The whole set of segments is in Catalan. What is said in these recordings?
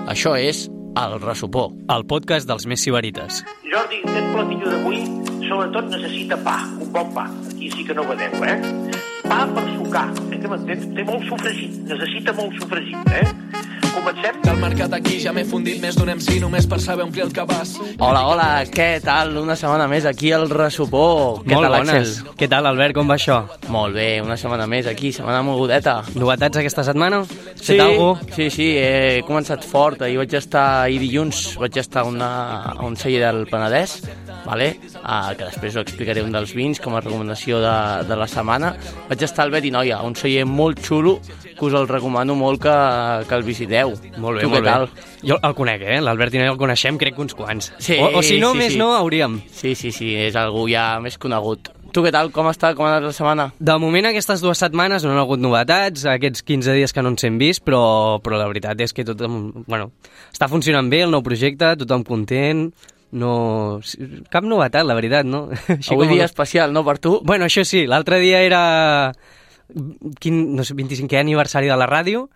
Això és El Ressupó, el podcast dels més sibarites. Jordi, aquest platillo d'avui sobretot necessita pa, un bon pa. Aquí sí que no vedeu, Pa per sucar, que m'entens? Té molt sofregit, necessita molt sofregit, Comencem? Del mercat aquí ja m'he fundit més d'un MC només per saber omplir el cabàs. Hola, què tal? Una setmana més aquí al Ressupó. Què Molt tal, bones. Axel? Què tal, Albert, com va això? Molt bé, una setmana més aquí, setmana mogudeta. Novetats aquesta setmana? Fet alguna cosa? Sí, he començat fort. Ahir dilluns vaig estar a un celler del Penedès, vale? Que després ho explicaré, un dels vins com a recomanació de la setmana. Vaig estar al Betinoia, un celler molt xulo, que us el recomano molt que el visiteu. Molt bé, tu, molt què tal? bé. Jo el conec, l'Albert i no el coneixem, crec que uns quants. Sí, o si no, sí, més sí. no, hauríem. Sí, és algú ja més conegut. Tu què tal? Com està? Com ha anat la setmana? De moment, aquestes 2 setmanes no han hagut novetats, aquests 15 dies que no ens hem vist, però la veritat és que està funcionant bé el nou projecte, tothom content, no... cap novetat, la veritat, no? Avui dia especial, no, per tu? Bueno, això sí, l'altre dia era 25è aniversari de la ràdio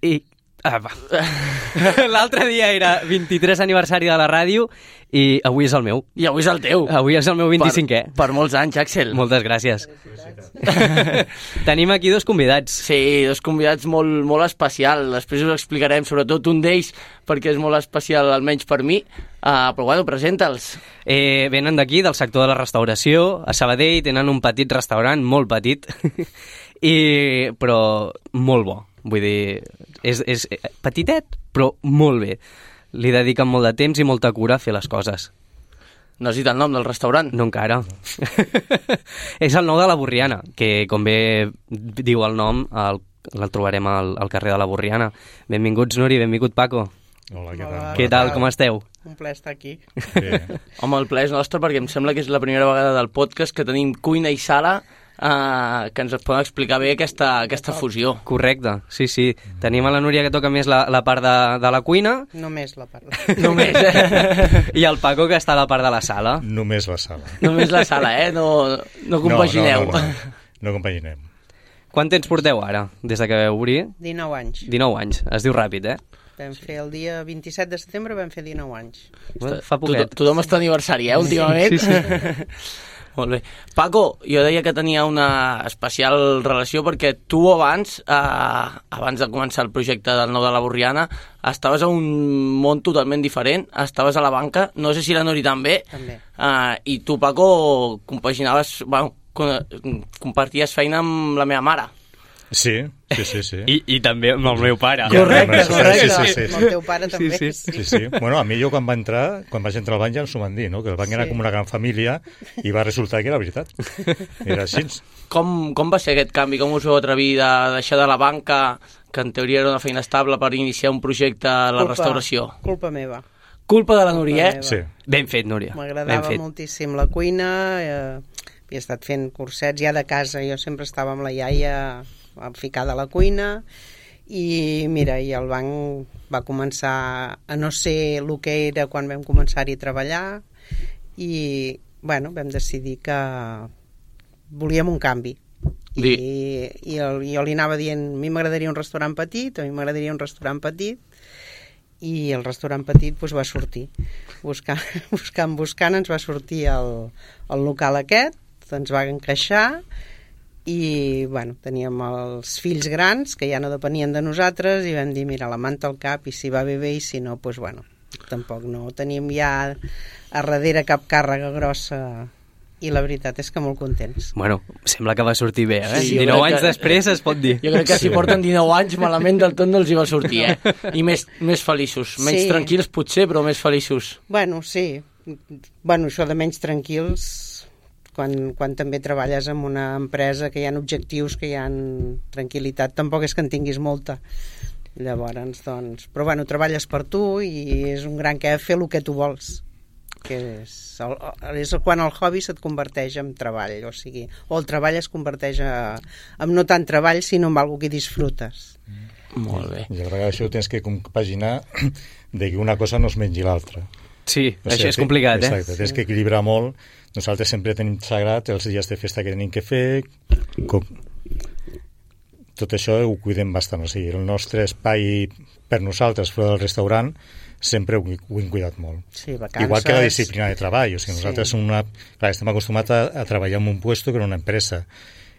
i... L'altre dia era 23 aniversari de la ràdio i avui és el meu. I avui és el teu. Avui és el meu 25è. Per molts anys, Axel. Moltes gràcies. Tenim aquí 2 convidats. Sí, 2 convidats molt especial. Després us explicarem, sobretot un d'ells, perquè és molt especial, almenys per mi. Però bueno, presenta'ls. Venen d'aquí, del sector de la restauració. A Sabadell tenen un petit restaurant, molt petit, però molt bo. Vull dir, és petitet, però molt bé. Li dediquen molt de temps i molta cura a fer les coses. No has dit el nom del restaurant? No encara. És el nou de la Borriana, que com bé diu el nom, el trobarem al carrer de la Borriana. Benvinguts, Nuri, benvingut, Paco. Hola, què tal? Què tal, com esteu? Un plaer estar aquí. Bé. Home, el plaer és nostre perquè em sembla que és la primera vegada del podcast que tenim cuina i sala que ens poden explicar bé aquesta fusió. Correcte, sí. Tenim a la Núria que toca més la part de la cuina. Només la part. Només. I el Paco que està a la part de la sala. Només la sala. Només la sala, No compagineu. No compaginem. Quant temps porteu ara, des de que vau obrir? 19 anys. 19 anys, es diu ràpid, Vam fer el dia 27 de setembre, vam fer 19 anys. Fa poquet. Tothom està aniversari, últimament. Sí. Molt bé. Paco, jo deia que tenia una especial relació perquè tu abans de començar el projecte del Nou de la Borriana, estaves a un món totalment diferent, estaves a la banca, no sé si la Nuri també. I tu, Paco, compaginaves, comparties feina amb la meva mare. Sí. I també amb el meu pare. Correcte. Sí. Amb el teu pare també. Sí. Bueno, a mi quan vaig entrar al banc ja ens ho van dir, no? Que el banc era com una gran família i va resultar que era veritat. Era així. Com va ser aquest canvi? Com us vau atrevir de deixar de la banca, que en teoria era una feina estable, per iniciar un projecte a la restauració? Culpa meva. Culpa de la Núria, Sí. Ben fet, Núria. M'agradava moltíssim la cuina, havia estat fent cursets ja de casa, jo sempre estava amb la iaia ficada a la cuina i mira, i el banc va començar a no ser el que era quan vam començar-hi a treballar i vam decidir que volíem un canvi i jo li anava dient a mi m'agradaria un restaurant petit i el restaurant petit va sortir buscant ens va sortir el local aquest, ens va encaixar i teníem els fills grans que ja no depenien de nosaltres i vam dir, mira, la manta al cap i si va bé i si no, tampoc no teníem ja a darrere cap càrrega grossa i la veritat és que molt contents. Bueno, sembla que va sortir bé, Sí, 19 anys després es pot dir. Jo crec que si porten 19 anys malament del tot no els hi va sortir, I més feliços, menys tranquils potser, però més feliços. Sí. Això de menys tranquils quan també treballes en una empresa que hi ha objectius, que hi ha tranquil·litat, tampoc és que en tinguis molta. Llavors, però treballes per tu i és un gran que fer el que tu vols, que és quan el hobby se't converteix en treball, o el treball es converteix en no tant treball, sinó en alguna que disfrutes. Molt bé. I a vegades això ho tens que compaginar de que una cosa no es mengi l'altra. Sí, això és complicat, Exacte, tens que equilibrar molt. Nosaltres sempre tenim sagrat els dies de festa que tenim que fer, tot això ho cuidem bastant. O sigui, el nostre espai per nosaltres fora del restaurant sempre ho hem cuidat molt. Sí, vacances... Igual que la disciplina de treball. O sigui, nosaltres clar, estem acostumats a treballar en un puesto que en una empresa.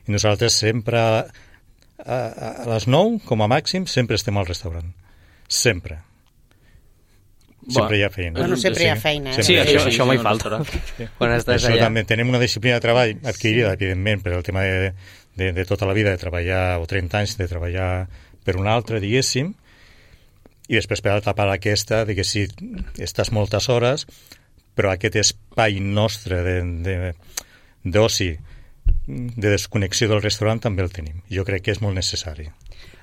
I nosaltres sempre, a les 9, com a màxim, sempre estem al restaurant. Sempre. Sempre hi ha feina. Bueno, sempre hi ha feina. Sí, això mai falta. Quan estàs això allà. també. Tenim una disciplina de treball adquirida, evidentment, per el tema de tota la vida, de treballar, o 30 anys, de treballar per un altre, diguéssim, i després per tapar aquesta, de que sí, estàs moltes hores, però aquest espai nostre d'oci, de desconnexió del restaurant, també el tenim. Jo crec que és molt necessari.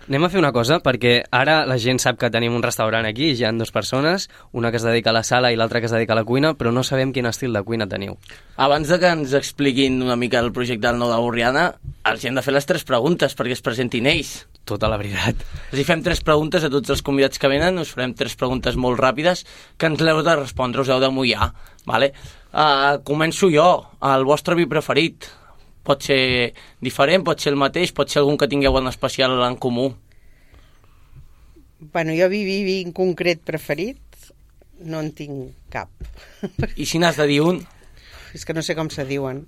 Anem a fer una cosa, perquè ara la gent sap que tenim un restaurant aquí, hi ha 2 persones, una que es dedica a la sala i l'altra que es dedica a la cuina, però no sabem quin estil de cuina teniu. Abans de que ens expliquin una mica el projecte del Nou de Borriana, els hem de fer les 3 preguntes perquè es presentin ells. Tota la veritat. Els fem 3 preguntes a tots els convidats que venen, us farem 3 preguntes molt ràpides que ens l'heu de respondre, us heu de mullar. Vale? Començo jo, el vostre vi preferit. Pot ser diferent, pot ser el mateix, pot ser algun que tingueu en especial en comú. Bueno, jo vi en concret preferit no en tinc cap. I si n'has de dir un? És que no sé com se diuen.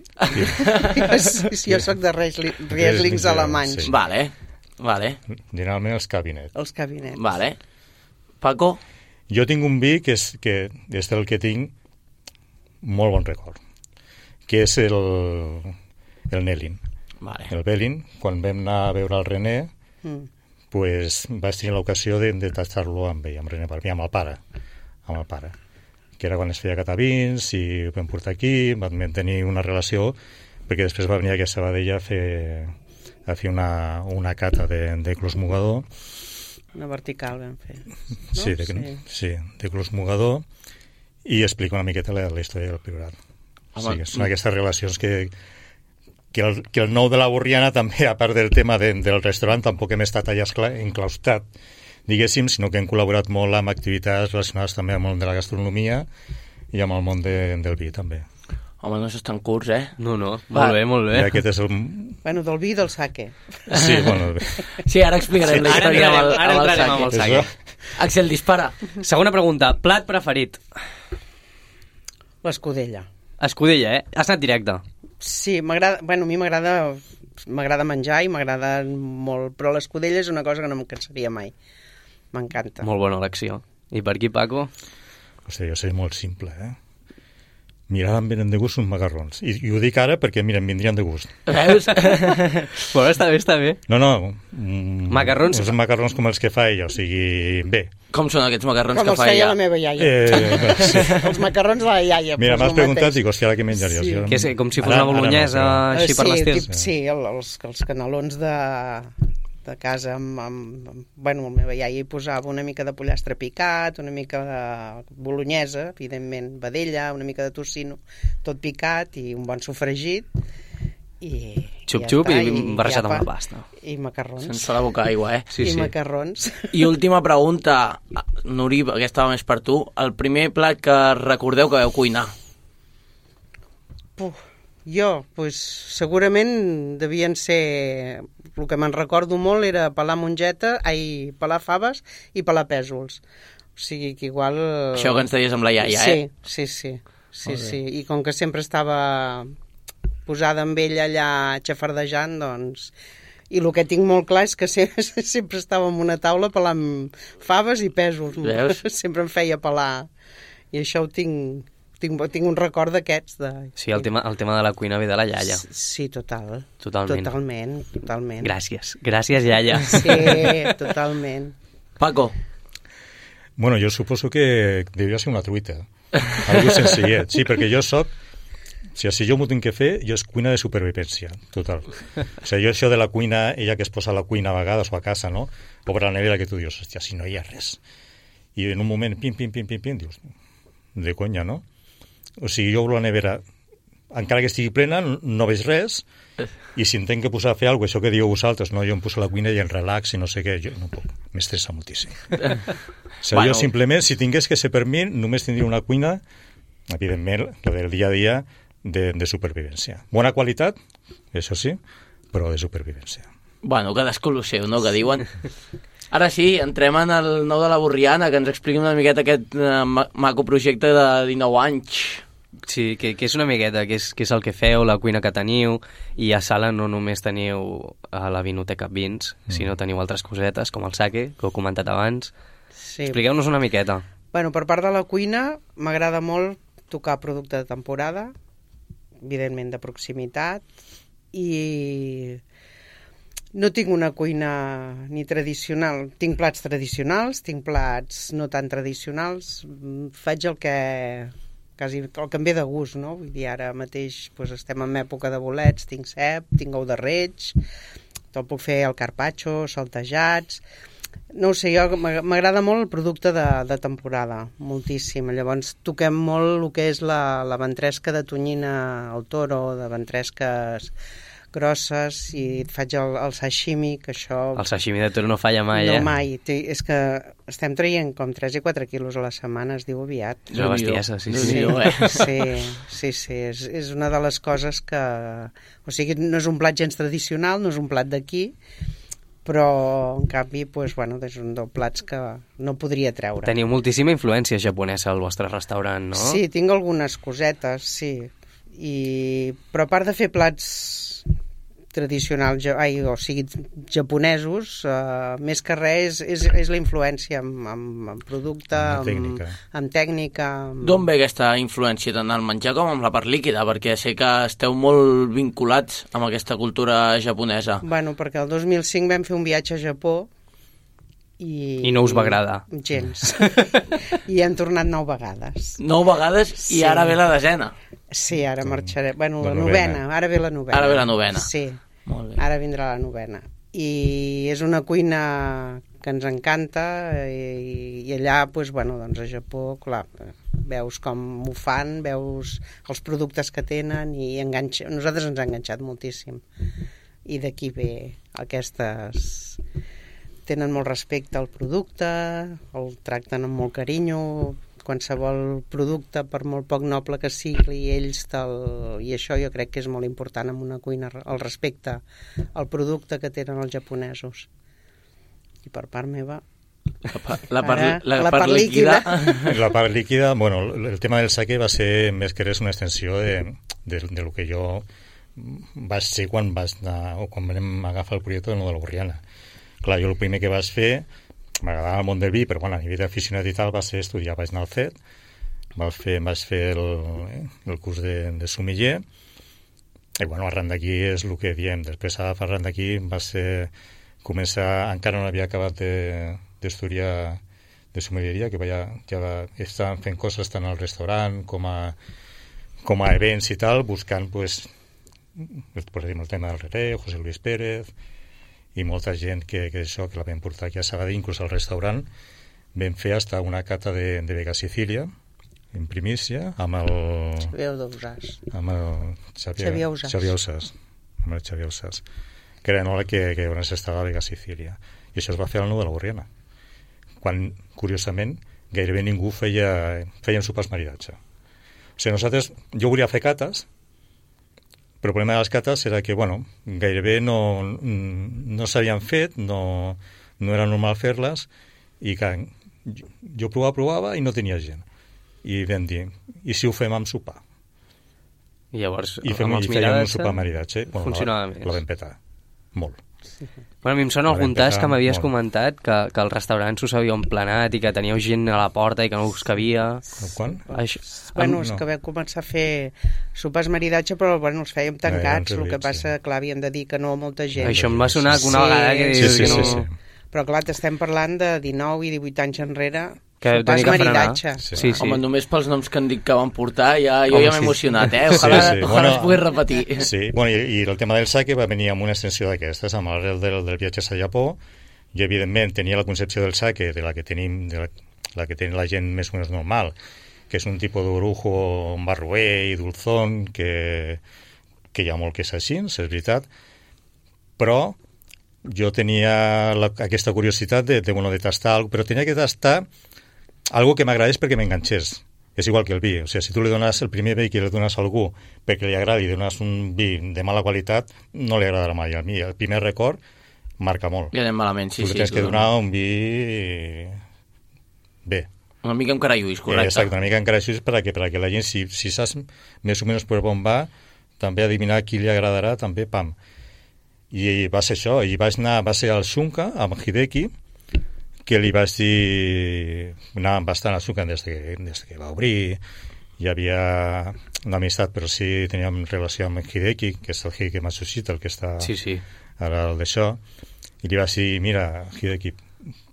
Jo soc de Rieslings alemanys. Sí. Vale. Generalment els cabinets. Els cabinets. Vale. Paco? Jo tinc un vi que és del que tinc molt bon record, que és el Nelin. Vale. El Belin, quan vam anar a veure el René, pues, vaig tenir l'ocasió de tastar-lo amb ell, amb René Barbí, amb el pare, que era quan es feia catavins i ho vam portar aquí, vam tenir una relació, perquè després va venir aquí a Sabadell a fer una cata de Clos Mogador. Una vertical vam fer. No? Sí, de Clos Mogador, i explica una miqueta la història del Priorat. Sí, són aquestes relacions que el Nou de la Borriana també, a part del tema del restaurant, tampoc hem estat allà enclaustat, diguéssim, sinó que hem col·laborat molt amb activitats relacionades també amb el món de la gastronomia i amb el món del vi, també. Home, no s'estan curts, eh? No, molt bé. I aquest és el... Bueno, del vi i del sake. Sí, bueno... Sí, ara explicarem la història amb el sake. Axel, dispara. Segona pregunta, plat preferit? L'escudella. Escudella, eh? Has anat directe. Sí, m'agrada, bueno, a mi m'agrada menjar i m'agrada molt, però l'escudella és una cosa que no em cansaria mai. M'encanta. Molt bona elecció. I per aquí, Paco? Hòstia, jo soy molt simple, eh? Mira, em venen de gust uns macarrons. I ho dic ara perquè, mira, em vindrien de gust. Veus? Bueno, està bé. No. Macarrons? Uns macarrons com els que fa ella, o sigui, bé. Com són aquests macarrons que fa ella? Com els feia la meva iaia. Sí. Els macarrons de la iaia. Mira, m'has preguntat, dic, hòstia, què menjaries? Sí. Que és com si fos una bolognesa, així per l'estil. Sí, els canelons de casa bueno, la meva iaia hi posava una mica de pollastre picat, una mica de bolognesa, evidentment vedella, una mica de tocino, tot picat i un bon sofregit i xup-xup i barrejat amb la pasta. I macarrons. Sense la boca aigua, eh? Sí. Macarrons. I última pregunta, Nuri, aquesta va més per tu. El primer plat que recordeu que vau cuinar? Jo, pues, segurament devien ser... El que me'n recordo molt era pelar pelar faves i pelar pèsols. O sigui que igual... Això que ens deies amb la iaia, Sí. I com que sempre estava posada amb ella allà xafardejant, doncs... I el que tinc molt clar és que sempre estava en una taula pelant faves i pèsols. Veus? Sempre em feia pelar. I això ho tinc un record d'aquests. Sí, el tema de la cuina ve de la iaia. Sí, totalment. Totalment. Gràcies, iaia. Sí, totalment. Paco? Bueno, jo suposo que devia ser una truita. Algo senzillet. Sí, perquè jo soc... Si jo m'ho tinc que fer, jo és cuina de supervivència, total. O sigui, jo això de la cuina, ella que es posa a la cuina a vegades o a casa, no? Obre la nevera que tu dius, hòstia, si no hi ha res. I en un moment, pim, dius, de conya, no? O sigui, jo obro la nevera, encara que estigui plena, no veig res, i si em tenc que posar a fer alguna cosa, això que dieu vosaltres, no? Jo em poso a la cuina i en relax i no sé què, jo no puc, m'estressa moltíssim. O sigui, jo simplement, si tingués que ser per mi, només tindria una cuina, evidentment, la del dia a dia, de supervivència. Bona qualitat, això sí, però de supervivència. Bueno, cadascú el seu, no?, que diuen. Ara sí, entrem en el nou de la Borriana, que ens expliqui una miqueta aquest maco projecte de 19 anys. Sí, que és una miqueta, que és el que feu, la cuina que teniu, i a sala no només teniu a la vinoteca vins, sinó teniu altres cosetes, com el sake, que ho he comentat abans. Sí. Expliqueu-nos una miqueta. Bueno, per part de la cuina, m'agrada molt tocar producte de temporada, evidentment de proximitat, i no tinc una cuina ni tradicional. Tinc plats tradicionals, tinc plats no tan tradicionals. Faig el que em ve de gust, no? Vull dir, ara mateix doncs, estem en època de bolets, tinc cep, tinc ou de reig, te'l puc fer al carpaccio, saltejats. No ho sé, jo m'agrada molt el producte de temporada, moltíssim. Llavors toquem molt el que és la ventresca de tonyina al toro, de ventresques grosses, i faig el sashimi, que això... El sashimi de toro no falla mai, No, mai. És que estem traient com 3 i 4 quilos a la setmana, es diu aviat. És una bestiesa, sí. Sí, és una de les coses que... O sigui, no és un plat gens tradicional, no és un plat d'aquí, però en canvi doncs, bueno, és un dels plats que no podria treure. Teniu moltíssima influència japonesa al vostre restaurant, no? Sí, tinc algunes cosetes, sí. Però a part de fer plats tradicionals, o sigui, japonesos, més que res és la influència en producte, en tècnica. D'on ve aquesta influència tant al menjar com amb la part líquida? Perquè sé que esteu molt vinculats amb aquesta cultura japonesa. Bueno, perquè el 2005 vam fer un viatge a Japó i no us va agradar. Gens. I hem tornat 9 vegades. 9 vegades i ara ve la 10ª. Sí, ara marxaré. Bueno, la novena. Ara ve la novena. Ara ve la novena. Sí. Molt bé. Ara vindrà la novena. I és una cuina que ens encanta i allà, doncs, bueno, doncs a Japó, clar, veus com ho fan, veus els productes que tenen i nosaltres ens ha enganxat moltíssim. I d'aquí ve aquestes... Tenen molt respecte al producte, el tracten amb molt carinyo, qualsevol producte, per molt poc noble que sigui, ells i això jo crec que és molt important en una cuina, el respecte al producte que tenen els japonesos. I per part meva... La part líquida. La part líquida, bueno, el tema del sake va ser més que res una extensió de lo que jo vaig ser quan vam agafar el projecte de la Borriana. Clar, jo el primer que vaig fer, m'agradava el món del vi, però bueno, a nivell d'aficionat i tal va ser estudiar, vaig anar al CET, vaig fer el curs de sommelier, i bueno, arran d'aquí és el que diem. Després arran d'aquí va ser començar, encara no havia acabat d'estudiar de sommelieria, que ja estaven fent coses tant al restaurant com a events i tal, buscant pues el tema del Rere, José Luis Pérez i molta gent que la vam portar aquí a Sabadell, inclús al restaurant vam fer hasta una cata de Vega Sicília en primícia amb el Xavier Ausàs, que era l'hora que on estava a Vega Sicília, i això es va fer al Nou de la Borriana, quan curiosament gairebé ningú feien sopars maridatge. O sigui, jo volia fer cates, però el problema de les cates era que, bueno, gairebé no s'havien fet, no era normal fer-les, i que jo provava i no tenia gent. I vam dir, i si ho fem amb sopar? I llavors, fèiem un sopar maridatge. Funcionava més. La vam petar, molt. Bueno, a mi em sona algun tas que m'havies comentat que el restaurant s'us havia emplenat i que teníeu gent a la porta i que no us cabia. Quan? Bueno, és que vam començar a fer sopars maridatge, però bueno, els fèiem tancats, el que passa, clar, havíem de dir que no a molta gent. Això em va sonar una vegada que dius que no... Sí. Però clar, estem parlant de 19 i 18 anys enrere, que sopars maridatge. Sí. Home, només pels noms que han dit que van portar, jo ja m'he emocionat, Ojalà es pugui repetir. Sí, bueno, i el tema del sake va venir amb una extensió d'aquestes, amb l'arrel del viatge a Japó. Jo, evidentment, tenia la concepció del sake de la que tenim, la que té la gent més o menys normal, que és un tipus d'orujo barroer i dulzón, que hi ha molt que és així, és veritat, però jo tenia aquesta curiositat de tastar alguna cosa, però tenia que tastar algo que m'agradés perquè m'enganxés. És igual que el vi. O sigui, si tu li dones el primer vi que li dones a algú perquè li agradi i dones un vi de mala qualitat, no li agradarà mai. A mi el primer record marca molt. I anem malament, sí, tu tens que donar un vi bé. Una mica amb caralluís, correcte. Exacte, una mica amb caralluís perquè la gent, si saps més o menys per on va, també adivinar qui li agradarà, també, pam. I va ser això, i va ser al Xunca, amb Hideki, que li vaig dir... Anàvem bastant al Xunca des que va obrir, hi havia una amistat, però sí teníem relació amb Hideki, que és el Hideki Matsushita, el que està ara al d'això, i li vaig dir, mira, Hideki,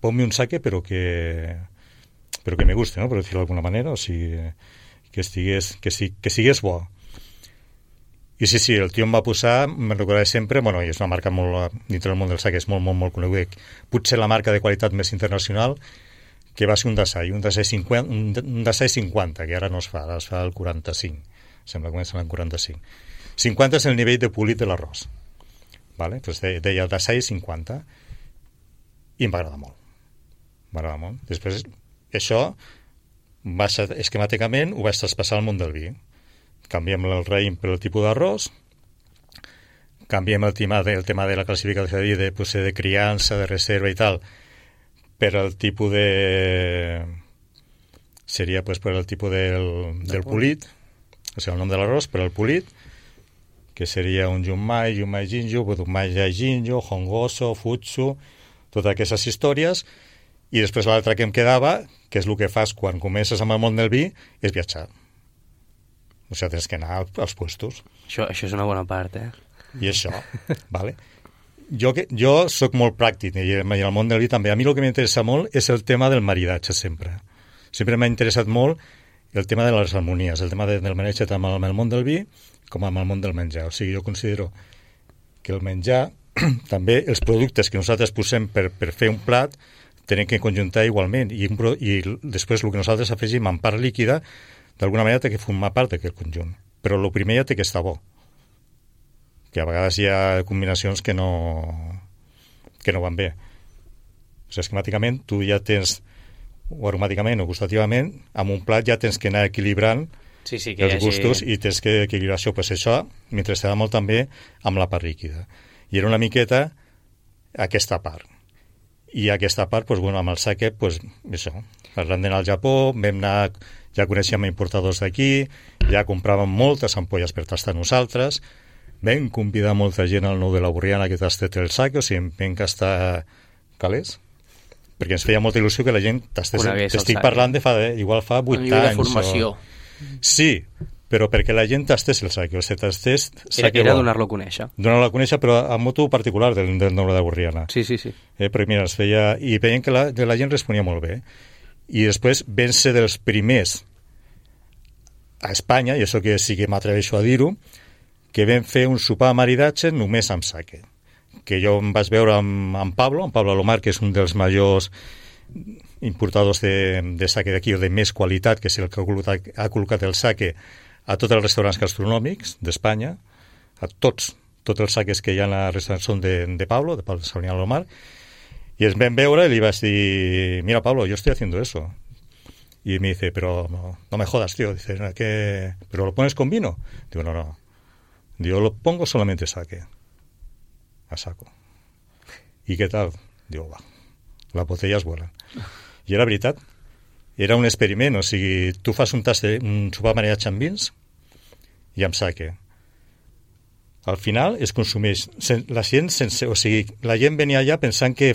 ponme un sake, però que me guste, ¿no? Per dir-ho d'alguna manera, o sigui, que sigués bo. I sí, el tio em va posar, me'n recordaré sempre, bueno, i és una marca molt, dintre del món del sake, és molt, molt, molt coneguda, potser la marca de qualitat més internacional, que va ser un Dasai 50, que ara no es fa, ara es fa el 45, sembla que comença l'any 45. 50 és el nivell de polit de l'arròs, vale? Pues deia Dasai 50, i em va agradar molt. Després, això, esquemàticament, ho vaig traspassar al món del vi. Canviem el raïm per el tipus d'arròs, canviem el tema de la classificació de criança, de reserva i tal, per el tipus seria per el tipus del polit, o sigui, el nom de l'arròs, per el polit, que seria un Junmai Jinju, Budumai Jinju, Hongoso, Futsu, totes aquestes històries, i després l'altre que em quedava, que és el que fas quan comences amb el món del vi, és viatjar. O sigui, tens que anar als puestos. Això és una bona part, I això, vale? Jo sóc molt pràctic, i en el món del vi també. A mi el que m'interessa molt és el tema del maridatge, sempre. Sempre m'ha interessat molt el tema de les harmonies, el tema del maridatge tant amb el món del vi com amb el món del menjar. O sigui, jo considero que el menjar, també els productes que nosaltres posem per fer un plat, tenen que conjuntar igualment, i després el que nosaltres afegim en part líquida, d'alguna manera té que formar part d'aquest conjunt. Però el primer ja té que estar bo. Que a vegades hi ha combinacions que no van bé. O sigui, esquemàticament, tu ja tens, o aromàticament o gustativament, amb un plat ja tens que anar equilibrant els gustos i tens que equilibrar això. Pues això m'interessava molt també amb la part líquida. I era una miqueta aquesta part. I aquesta part, pues, bueno, amb el sake, pues, això, arran d'anar al Japó, vam anar, ja coneixíem importadors d'aquí, ja compràvem moltes ampolles per tastar nosaltres, vam convidar molta gent al Nou de la Borriana que tastés el sake, o sigui, vam gastar calés, perquè ens feia molta il·lusió que la gent tastés. T'estic parlant igual fa 8 anys. De formació. Sí, però perquè la gent tastés el sake, o sigui, tastés sake era donar-lo a conèixer. Donar-lo a conèixer, però a motu particular del Nou de la Borriana. Sí. Perquè mira, es feia... I veiem que la gent responia molt bé. I després vam ser dels primers a Espanya, i això que sí que m'atreveixo a dir-ho, que vam fer un sopar de maridatge només amb sake. Que jo em vaig veure amb Pablo Alomar, que és un dels majors importadors de sake d'aquí, o de més qualitat, que és el que ha col·locat el sake a tots els restaurants gastronòmics d'Espanya, a tots els sakes que hi ha a restaurants són de Pablo Sauniano Alomar, y ens vam veure y le iba a decir, mira Pablo, yo estoy haciendo eso. Y me dice, pero no me jodas, tío. Dice, ¿pero lo pones con vino? Digo, no. Digo, lo pongo solamente sake. A saco. ¿Y qué tal? Digo, va, las botellas vuelan. I era veritat. Era un experiment, o sigui, tu fas un sopar maridatge amb vins i amb sake. Al final es consumeix la gent sense... O sigui, la gent venia allà pensant que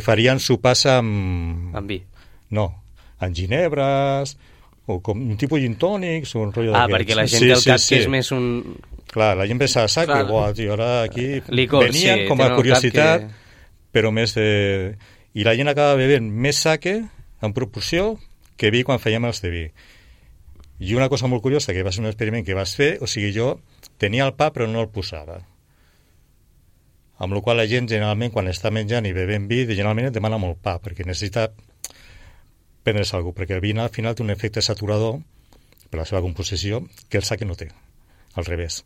farien sopars amb... Amb vi? No, amb ginebres, o com un tipus gin tònics, o un rotllo d'aquests. Perquè la gent té el cap que és més un... Clar, la gent pensa a sake, buah, tio, ara aquí... Licor, venien com a curiositat, però més... I la gent acaba bevent més sake en proporció que vi quan fèiem els de vi. I una cosa molt curiosa, que va ser un experiment que vas fer, o sigui, jo tenia el pa però no el posava. Amb la qual la gent generalment quan està menjant i bevent vi, generalment et demana molt pa, perquè necessita prendre's alguna cosa, perquè el vi al final té un efecte saturador per la seva composició que el sake no té, al revés.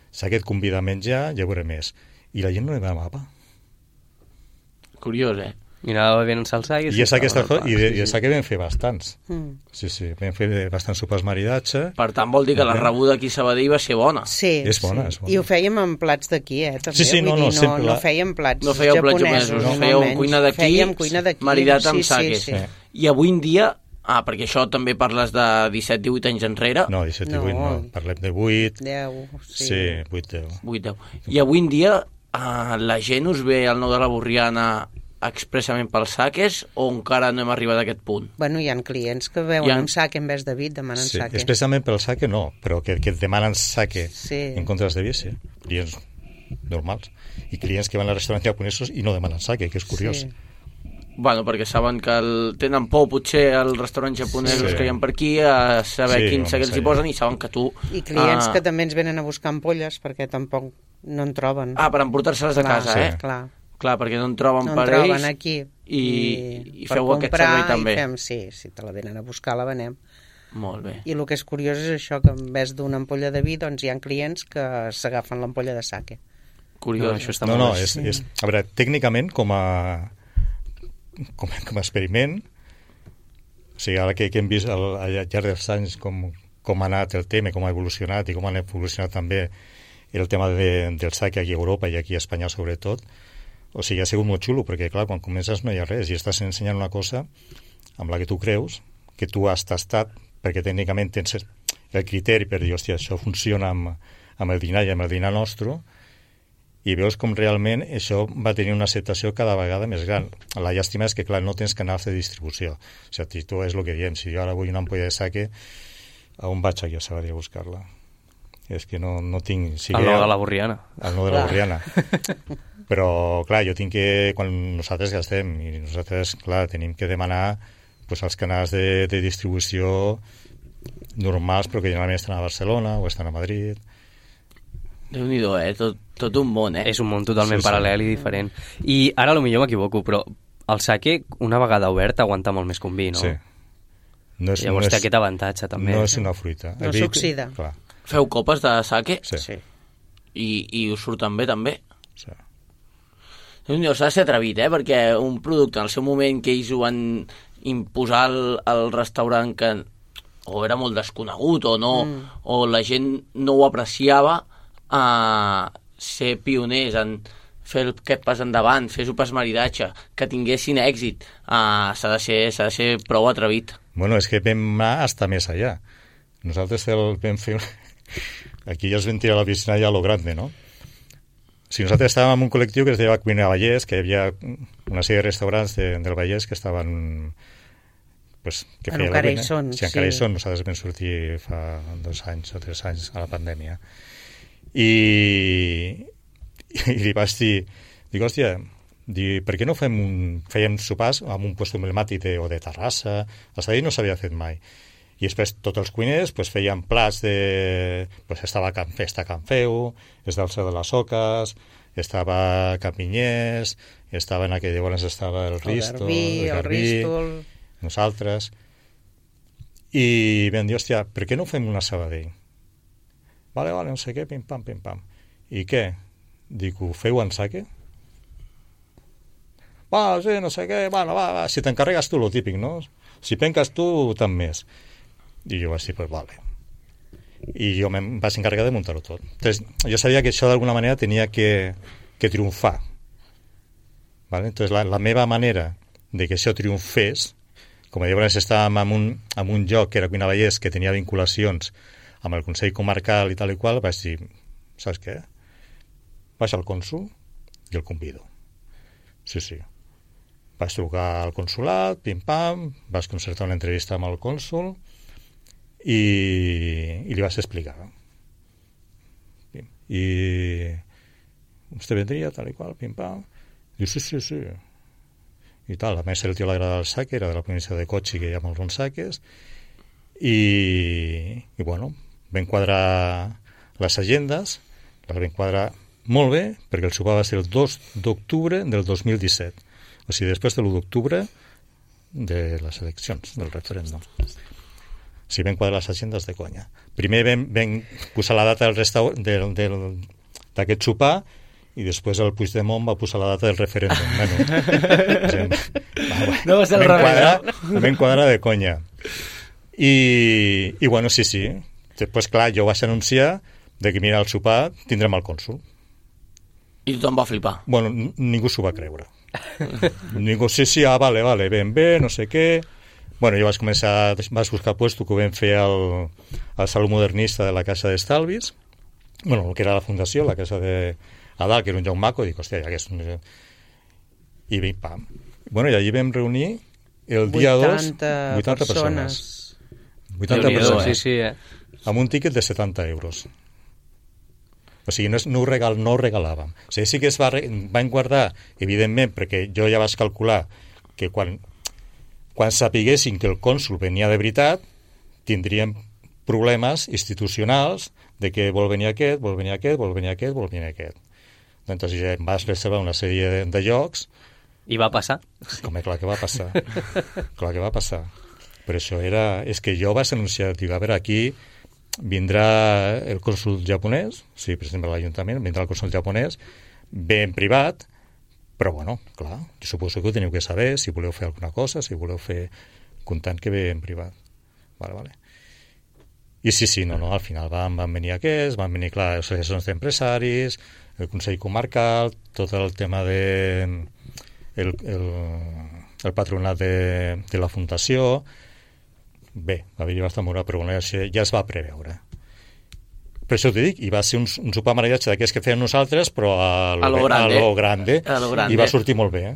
El sake et convida a menjar i a veure més. I la gent no li demana pa. Curiós, I anava bevent en salsa I de sake vam fer bastants. Sí, vam fer bastants sopars maridatge. Per tant, vol dir que la rebuda aquí a Sabadell va ser bona. Sí, És bona. I ho fèiem en plats d'aquí, també. Sí, Vull dir, sempre no fèiem plats no fèieu plats japonesos. no fèieu cuina d'aquí, maridat amb sake. Sí. I avui en dia, perquè això també parles de 17-18 anys enrere. No, 17-18 no, parlem de 8. 10, sí. 8-10. 8-10. I avui en dia la gent us ve al Nou de la Borriana expressament pels saques o encara no hem arribat a aquest punt? Bueno, hi ha clients que veuen amb sake en vez de vi, demanen sake. Expressament pel sake no, però que et demanen sake en comptes de vi, sí. Clients normals. I clients que van als restaurants japonesos i no demanen sake, que és curiós. Sí. Bueno, perquè saben que tenen por potser als restaurants japonesos que hi ha per aquí a saber quin sake els hi posen i saben que tu... I clients que també ens venen a buscar ampolles perquè tampoc no en troben. Per emportar-se-les a casa, Clar, perquè no en troben per ells. No en troben aquí. I feu aquest servei també. Si te la venen a buscar, la venem. Molt bé. I el que és curiós és això, que en vez d'una ampolla de vi, doncs hi ha clients que s'agafen l'ampolla de sake. Curiós. Això està molt bé. És, a veure, tècnicament, com a experiment, o sigui, ara que hem vist al llarg dels anys com ha anat el tema, com ha evolucionat i com ha evolucionat també el tema del sake aquí a Europa i aquí a Espanya sobretot, o sigui, ha sigut molt xulo, perquè clar, quan comences no hi ha res i estàs ensenyant una cosa amb la que tu creus, que tu has tastat, perquè tècnicament tens el criteri per dir, hòstia, això funciona amb el dinar i amb el dinar nostre, i veus com realment això va tenir una acceptació cada vegada més gran. La llàstima és que, clar, no tens canals de distribució. O sigui, tu és el que diem, si jo ara vull una ampolla de sake, a on vaig aquí a Sabadell a buscar-la? És que no tinc... Al Nou de la Borriana. Al Nou de la Borriana. Però, clar, jo tinc que... Quan nosaltres gastem, i nosaltres, clar, tenim que demanar pues, els canals de distribució normals, però que generalment estan a Barcelona o estan a Madrid. Déu-n'hi-do, tot un món, És un món totalment paral·lel i diferent. I ara potser m'equivoco, però el sake, una vegada obert, aguanta molt més que un vi, no? Sí. Llavors té aquest avantatge, també. No és una fruita. No s'oxida. Feu copes de sake? Sí. I us surten bé, també? Sí. S'ha de ser atrevit, perquè un producte, en el seu moment que ells ho van imposar al restaurant que o era molt desconegut o no, o la gent no ho apreciava, ser pioners en fer aquest pas endavant, fer sopars maridatge, que tinguessin èxit, s'ha de ser prou atrevit. Bueno, és que vam anar hasta més allà. Nosaltres vam fer... Aquí ja es vam tirar a la piscina ja a lo grande, no? Si nosaltres estàvem en un col·lectiu que es deia Cuina Vallès, que hi havia una sèrie de restaurants del Vallès que estaven... Pues, que feia encara hi són. Sí, encara hi són. Nosaltres vam sortir fa 2 anys o 3 anys a la pandèmia. I li vaig dir, hòstia, per què no fèiem sopars amb un lloc emblemàtic o de Terrassa? A Sabadell no s'havia fet mai. I després tots els cuiners feien plats de... estava Festa Can Feu, estava el Cel de les Oques, estava Campinyers, estava en aquell llavors estava el Risto, el Garbí, nosaltres. I vam dir, hòstia, per què no fem una Sabadell? Vale, no sé què, pim-pam. I què? Dic, ho feu en sake? Sí, no sé què, va, si t'encarregues tu, lo típic, no? Si penques tu, tant més. I jo vaig dir, pues vale. I jo em vaig encarregar de muntar-ho tot. Entonces, jo sabia que això d'alguna manera tenia que triomfar. Vale? Entonces, la meva manera de que això triomfés, com llavors estàvem en un lloc que era Cuina Vallès, que tenia vinculacions amb el Consell Comarcal i tal i qual, vaig dir, saps què? Vaig al cònsul i el convido. Sí. Vaig trucar al consulat, pim-pam, vaig concertar una entrevista amb el cònsul i li vaig explicar. I vostè vendria, tal i qual, pim-pam. Diu, sí. I tal, a més el tio l'agrada el sake, era de la província de Kochi, que hi ha molts bons sakes, i bueno, vam quadrar les agendes, les vam quadrar molt bé, perquè el sopar va ser el 2 d'octubre del 2017, o sigui, després de l'1 d'octubre de les eleccions, del referèndum. O sigui, vam quadrar les agendes de conya. Primer vam posar la data d'aquest sopar i després el Puigdemont va posar la data del referèndum. No va ser el revés. Vam quadrar de conya. I bueno, sí. Després, clar, jo vaig anunciar de que, mira, al sopar tindrem el cònsul. I tothom va flipar. Bueno, ningú s'ho va creure. Ningú, sí, vale, ben bé, no sé què. Bueno, jo vaig buscar puesto que ho vam fer al Saló Modernista de la Casa d'Estalvis, bueno, el que era la fundació, la casa de Adal, que era un lloc maco, i dic, hòstia, ja que és... I pam. Bueno, i allí vam reunir el dia 2 80 persones. 80 persones. Sí, amb un tíquet de 70 euros. O sigui, no ho regalàvem. O sigui, sí que van guardar, evidentment, perquè jo ja vaig calcular que quan sapiguessin que el cònsul venia de veritat, tindríem problemes institucionals de que vol venir aquest. Doncs ja em vas reservar una sèrie de llocs. I va passar? Clar que va passar. Però això és que jo vaig anunciar, dic, a veure, aquí vindrà el cònsul japonès, sí, per exemple, l'Ajuntament, vindrà el cònsul japonès, ve en privat, però bueno, clar, jo suposo que ho teniu que saber, si voleu fer alguna cosa, si voleu fer comptant que ve en privat. Vale. I sí, no, al final van venir aquests, van venir, clar, les associacions d'empresaris, el Consell Comarcal, tot el tema de el patronat de la Fundació. Bé, va haver-hi bastant molt, però bueno, ja es va preveure. Per això t'ho dic, i va ser un sopar maridatge d'aquests que fèiem nosaltres, però a lo grande. I va sortir molt bé,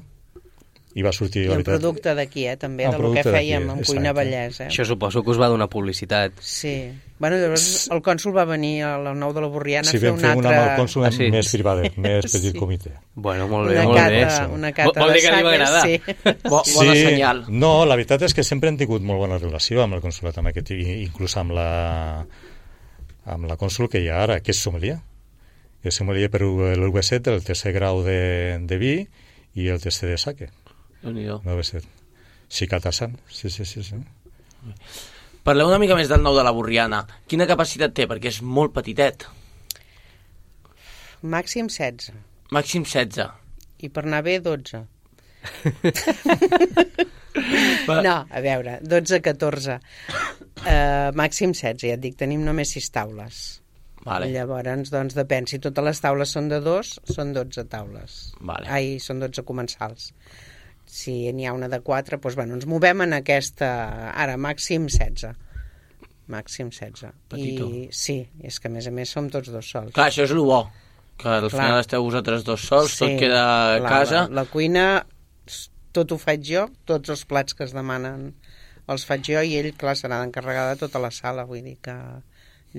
I va sortir, I el producte d'aquí, també, del que fèiem en Cuina Vallès. Això suposo que us va donar publicitat. Sí. Bueno, llavors el cònsul va venir a la 9 de la Borriana a fer un altre... Sí, vam fer una amb el cònsul més privadet, més petit comitè. Bueno, molt bé, molt bé. Una cata vol dir que li va agradar. Bona senyal. No, la veritat és que sempre han tingut molt bona relació amb el consulat, inclús amb la cònsul que hi ha ara, que és sommelier. És sommelier per l'UB7, el tercer grau de vi i el tercer de sake. Déu-n'hi-do. Sí, Catasan. Sí. Parleu una mica més del Nou de la Borriana. Quina capacitat té? Perquè és molt petitet. Màxim 16. Màxim 16. I per anar bé, 12. No, a veure, 12-14. Màxim 16, ja et dic, tenim només 6 taules. Vale. Llavors, doncs, depèn. Si totes les taules són de 2, són 12 taules. Vale. Són 12 comensals. Si n'hi ha una de 4, doncs, bueno, ens movem en aquesta... Ara, màxim 16. Màxim 16. Petitó. Sí, és que a més som tots dos sols. Clar, això és el bo, que al final esteu vosaltres dos sols, tot queda a casa. La cuina, tot ho faig jo, tots els plats que es demanen els faig jo, i ell, clar, serà d'encarregar de tota la sala, vull dir que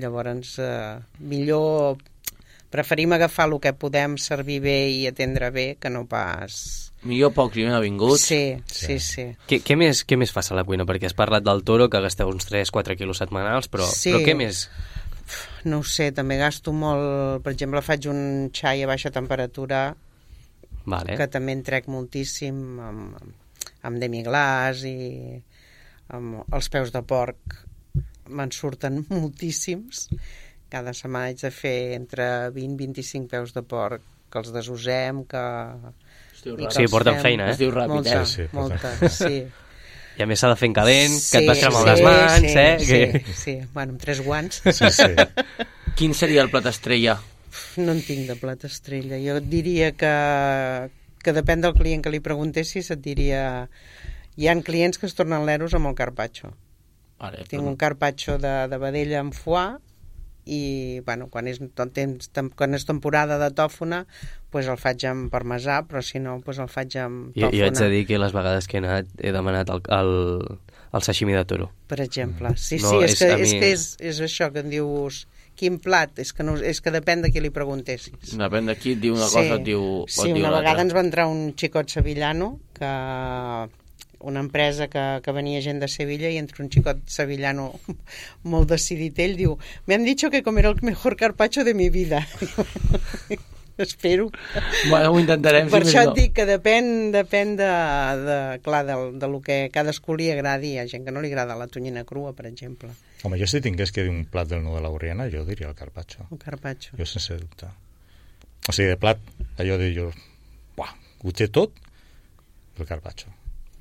llavors millor preferim agafar el que podem servir bé i atendre bé que no pas... Millor pocs i ben avinguts. Sí. Què més fas a la cuina? Perquè has parlat del toro, que gasteu uns 3-4 quilos setmanals, però què més? No ho sé, també gasto molt... Per exemple, faig un xai a baixa temperatura, que també en trec moltíssim, amb demi-glaç i amb els peus de porc. Me'n surten moltíssims. Cada setmana haig de fer entre 20 i 25 peus de porc, que els desusem, que... Sí, porten feina, Es diu ràpid, Molta, sí. I a més s'ha de fer en calent, que et vas cremar les mans, Sí, bueno, amb 3 guants. Sí. Quin seria el plat estrella? No en tinc de plat estrella. Jo et diria que depèn del client que li preguntessis, et diria... Hi ha clients que es tornen leros amb el carpaccio. Vale, Tinc un carpaccio de vedella amb foie i, bueno, quan és temporada de tòfona, pues el faig amb parmesà, però si no, pues el faig amb tòfona. Jo haig de dir que les vegades que he anat he demanat el sashimi de toro. Per exemple. Sí, és això que em dius... Quin plat? És que depèn de qui li preguntessis. Depèn de qui et diu una cosa, et diu una vegada ens va entrar un xicot sevillano, una empresa que venia gent de Sevilla, i entre un xicot sevillano molt decidit, ell diu: me han dicho que comer el mejor carpaccio de mi vida. Espero. Bueno, ho intentarem. Per això et dic que depèn clar, de lo que cadascú li agradi. Hi ha gent que no li agrada la tonyina crua, per exemple. Home, jo si tingués que dir un plat del Nou de la Borriana, jo diria el carpaccio. El carpaccio. Jo sense dubte. O sigui, de plat, allò de jo, buah, ho té tot, el carpaccio.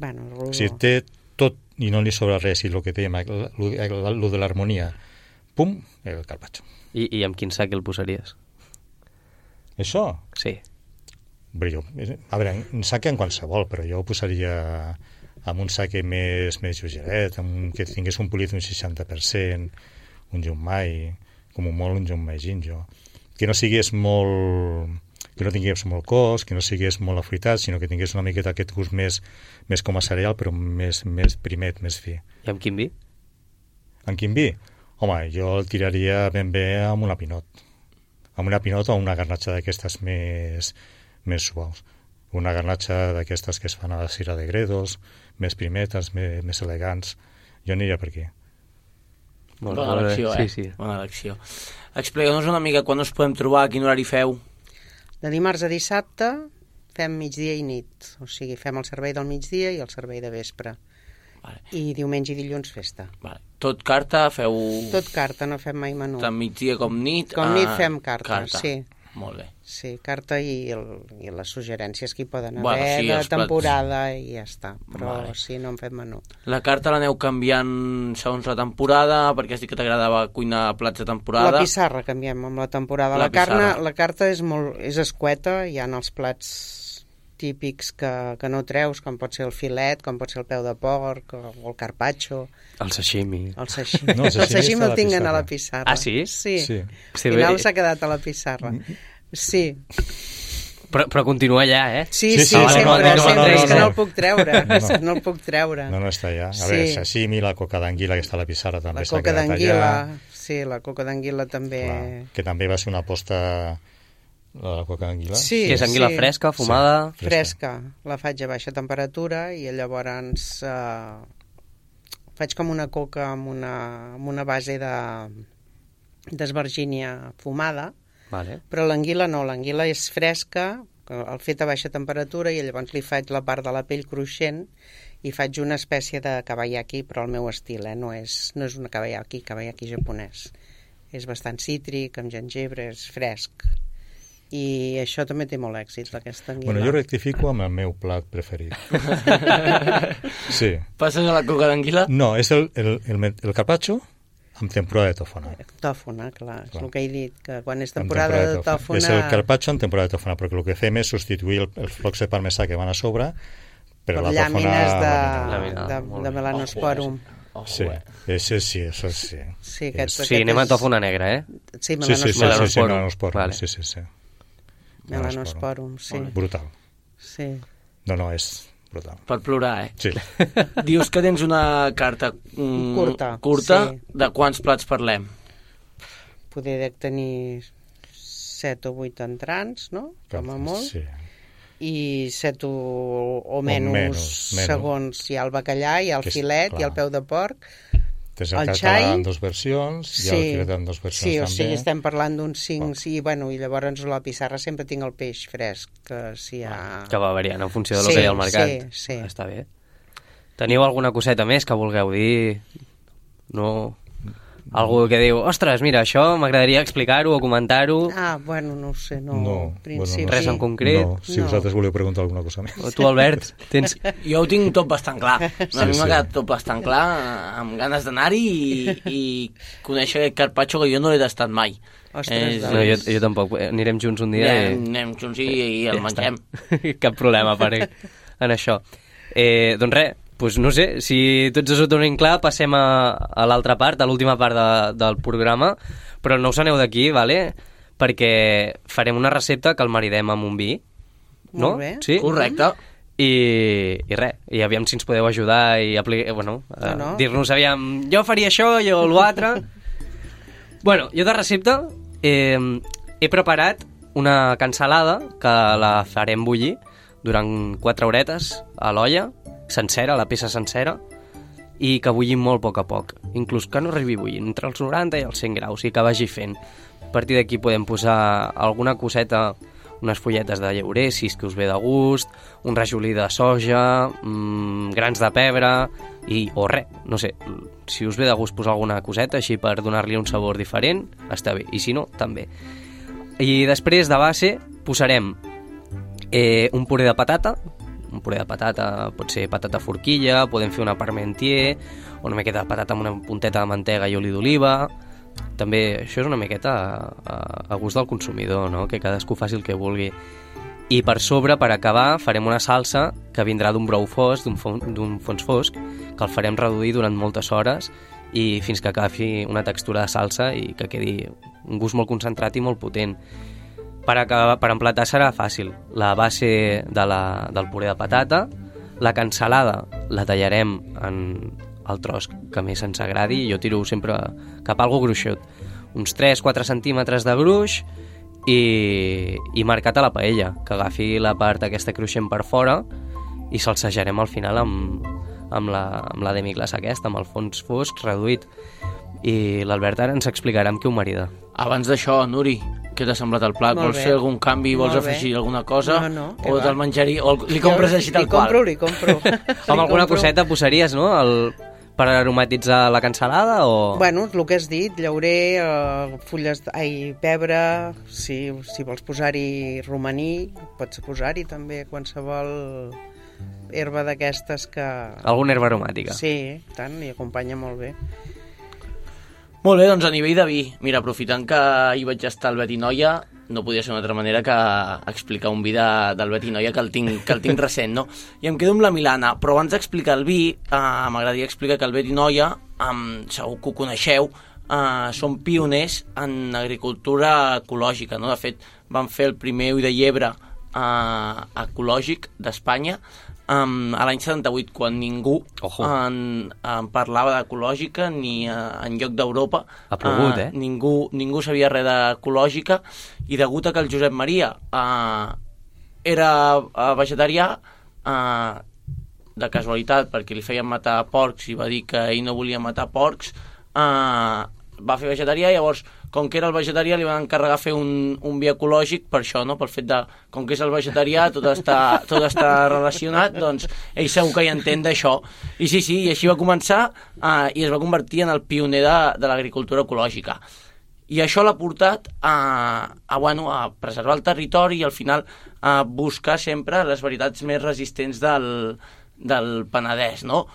Bueno, O sigui, té tot i no li sobra res, i el que dèiem, el de l'harmonia, pum, el carpaccio. I amb quin sac el posaries? Això? Sí. Bé, jo, a veure, en sac en qualsevol, però jo ho posaria amb un sac més lleugeret, que tingués un polit d'un 60%, un Junmai, com un molt un Junmai Ginjo, que no sigués molt... que no tingués molt cos, que no sigués molt afruitat, sinó que tingués una miqueta aquest gust més com a cereal, però més primet, més fi. I amb quin vi? Amb quin vi? Home, jo el tiraria ben bé amb una pinot. Amb una pinot o una garnatxa d'aquestes més suaus. Una garnatxa d'aquestes que es fan a la Sierra de Gredos, més primetes, més elegants. Jo aniria per aquí. Bona elecció, Sí. Bona elecció. Explica'ns una mica quan us podem trobar, a quin horari feu. De dimarts a dissabte fem migdia i nit. O sigui, fem el servei del migdia i el servei de vespre. Vale. I diumenge i dilluns festa. Vale. Tot carta, feu... Tot carta, no fem mai menú. Tant migdia com nit? Com nit fem carta, sí. Molt bé. Sí, carta i les suggerències que hi poden haver, Bueno, sí, de els plats. temporada i ja està. Però Vale. sí, no en fem menú. La carta l'aneu canviant segons la temporada, perquè has dit que t'agradava cuinar plats de temporada. La pissarra canviem amb la temporada. La pissarra. La carta és escueta, hi ha els plats típics que no treus, com pot ser el filet, com pot ser el peu de porc, o el carpaccio, El sashimi. el sashimi. No, el sashimi El sashimi està a el la tinguin a pissarra. la pissarra. Ah, sí? Sí. Sí. Sí, Al final bé. s'ha quedat a la pissarra. Sí. Però continua allà, eh? Sí, Sí, sí, sí, sempre, no, sempre. És que no. no el puc treure. No. No el puc treure. No està allà. A Sí. veure, sashimi, la coca d'anguila que està a la pissarra també La s'ha coca quedat d'anguila, allà. sí, la coca d'anguila també... Clar, que també va ser una aposta la coca d'anguila. Sí, Que és anguila sí. fresca, fumada... Sí. Fresca. La faig a baixa temperatura i llavors faig com una coca amb una base d'esvergínia fumada, Vale. però l'anguila no, l'anguila és fresca, el fet a baixa temperatura, i llavors li faig la part de la pell cruixent i faig una espècie de kabayaki, però al meu estil, no és una kabayaki japonès. És bastant cítric, amb gengibre, és fresc. I això també té molt èxit, aquesta anguila. Bueno, jo rectifico amb el meu plat preferit. Sí. Passes a la coca d'anguila? No, és el carpaccio amb temporada de tòfona. Tòfona, clar, és Clar. el que he dit, que quan és Amb temporada de tòfona... És el carpaccio amb temporada de tòfona, perquè el que fem és substituir els flocs de parmesà que van a sobre per la tòfona... llàmines laminada. de melanosporum. Sí, això sí. Sí, Sí, anem a tòfona negra, eh? Sí, Sí, melanosporum. melanosporum. Vale. Sí. Melanosporum, sí. Brutal. Sí. No, és brutal. Per plorar, eh? Sí. Dius que tens una carta curta. sí. De quants plats parlem? Poder dec tenir 7 o 8 entrants, no? Com a molt. Sí. I 7 o menys menys. segons. Hi ha el bacallà, hi ha el Que és- filet, hi ha el clar. peu de porc. Tens El el xai, català en dues versions, hi ha el filet en dues versions sí, o també. sigui, estem parlant d'uns 5, sí, bueno, i llavors a la pissarra sempre tinc el peix fresc, que si hi ha... Que va variant en funció del Sí, que hi ha al mercat. sí. Està bé. Teniu alguna coseta més que vulgueu dir? No... Algú que diu, ostres, mira, això m'agradaria explicar-ho o comentar-ho. Ah, bueno, no ho sé, no. No, En principi... Res en concret? No, si No. vosaltres voleu preguntar alguna cosa més. O tu, Albert, tens... Jo ho tinc tot bastant clar. A mi m'ha sí. quedat tot bastant clar, amb ganes d'anar-hi i conèixer aquest carpaccio que jo no l'he tastat mai. Ostres, No, jo tampoc. Anirem junts un dia Anem junts i el mengem. Cap problema per en això. Doncs res, doncs no sé, si tots us ho tenim clar, passem a l'altra part, a l'última part del programa, però no us aneu d'aquí, vale? Perquè farem una recepta que el maridem amb un vi, no? Molt bé. Sí? Correcte. I res, i aviam si ens podeu ajudar i dir-nos, aviam, jo faria això, jo l'altre. Bueno, jo de recepta he preparat una cansalada que la farem bullir durant 4 horetes a l'olla, sencera, la peça sencera, i que bullim molt a poc, inclús que no arribi a bullir, entre els 90 i els 100 graus, i que vagi fent. A partir d'aquí podem posar alguna coseta, unes fulletes de llaurer, si és que us ve de gust, un rajolí de soja, grans de pebre, o res, no sé, si us ve de gust posar alguna coseta així per donar-li un sabor diferent, està bé, i si no, també. I després de base posarem un puré de patata. Un puré de patata pot ser patata forquilla, podem fer una parmentier, o una miqueta de patata amb una punteta de mantega i oli d'oliva. També això és una miqueta a gust del consumidor, no? Que cadascú faci el que vulgui. I per sobre, per acabar, farem una salsa que vindrà d'un brou fosc, d'un fons fosc, que el farem reduir durant moltes hores i fins que agafi una textura de salsa i que quedi un gust molt concentrat i molt potent. Per emplatar serà fàcil. La base del puré de patata, la cansalada la tallarem en el tros que més ens agradi. Jo tiro sempre cap a algo gruixut. Uns 3-4 centímetres de gruix i marcat a la paella, que agafi la part aquesta cruixent per fora i salsejarem al final amb la demi-glaça aquesta, amb el fons fosc reduït. I l'Albert ara ens explicarà amb què ho marida. Abans d'això, Nuri, què t'ha semblat el plat? Vols fer algun canvi? Vols afegir alguna cosa? No, o te'l menjaria? O li compres així tal qual? Li compro. Amb alguna coseta posaries, no? Per aromatitzar la cansalada o...? Bueno, el que has dit, llaurer, pebre, si vols posar-hi romaní, pots posar-hi també qualsevol herba d'aquestes que... Alguna herba aromàtica. Sí, tant, i acompanya molt bé. Molt bé, doncs a nivell de vi, mira, aprofitant que hi vaig estar al Betinoia, no podia ser una altra manera que explicar un vi del Betinoia que el tinc recent, no? I em quedo amb la Milana, però abans d'explicar el vi, m'agradaria explicar que el Betinoia, segur que ho coneixeu, són pioners en agricultura ecològica, no? De fet, van fer el primer ull de llebre ecològic d'Espanya a l'any 78, quan ningú en parlava d'ecològica ni en lloc d'Europa. Ha plogut, Ningú sabia res d'ecològica, i degut a que el Josep Maria era vegetarià, de casualitat, perquè li feien matar porcs i va dir que ell no volia matar porcs, va fer vegetarià. Llavors, com que era el vegetarià, li van encarregar fer un vi ecològic per això, no? Pel fet de, com que és el vegetarià, tot està relacionat, doncs ell segur que hi entén d'això. I sí, i així va començar i es va convertir en el pioner de l'agricultura ecològica. I això l'ha portat a preservar el territori i al final a buscar sempre les varietats més resistents del Penedès, no?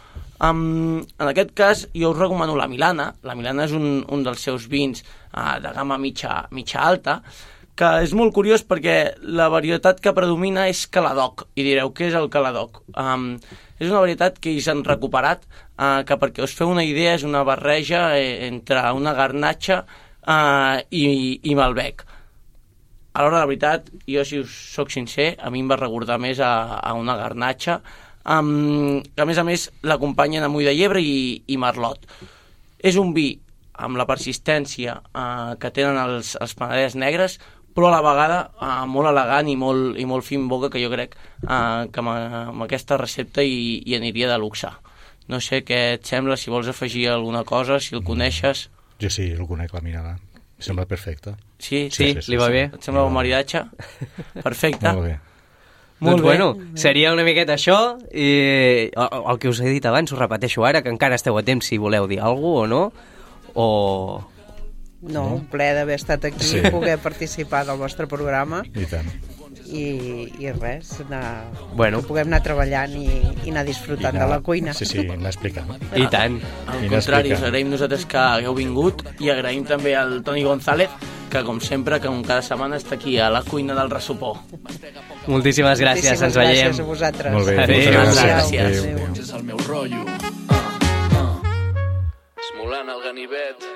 En aquest cas jo us recomano la Milana. La Milana és un dels seus vins de gamma mitja alta, que és molt curiós perquè la varietat que predomina és Caladoc. I direu, què és el Caladoc? És una varietat que ells han recuperat, que perquè us feu una idea és una barreja entre una garnatxa i Malbec. A l'hora de la veritat, jo si us soc sincer, a mi em va recordar més a una garnatxa, que a més l'acompanyen amb ull de llebre i merlot. És un vi amb la persistència que tenen els Penedès negres, però a la vegada molt elegant i molt fin boca, que jo crec que amb aquesta recepta hi aniria de luxe. No sé què et sembla, si vols afegir alguna cosa, si el coneixes. Jo sí, el conec, la Milana. Em sembla perfecte. Sí, li va bé. Et sembla un maridatge? Perfecte. Molt bé. Doncs bueno, seria una miqueta això, i el que us he dit abans, us repeteixo ara, que encara esteu a temps si voleu dir alguna cosa o no, o... No, un plaer d'haver estat aquí, poder participar del vostre programa. I tant. I res, que puguem anar treballant i anar disfrutant de la cuina. Sí, anar explicant. I tant. Al contrari, us agraïm nosaltres que hagueu vingut i agraïm també al Toni González, que com sempre, com cada setmana està aquí a la cuina del Ressopó. Moltíssimes gràcies, ens veiem. Gràcies a vosaltres. Molt bé, gràcies. És el meu rotllo. Esmolant el ganivet.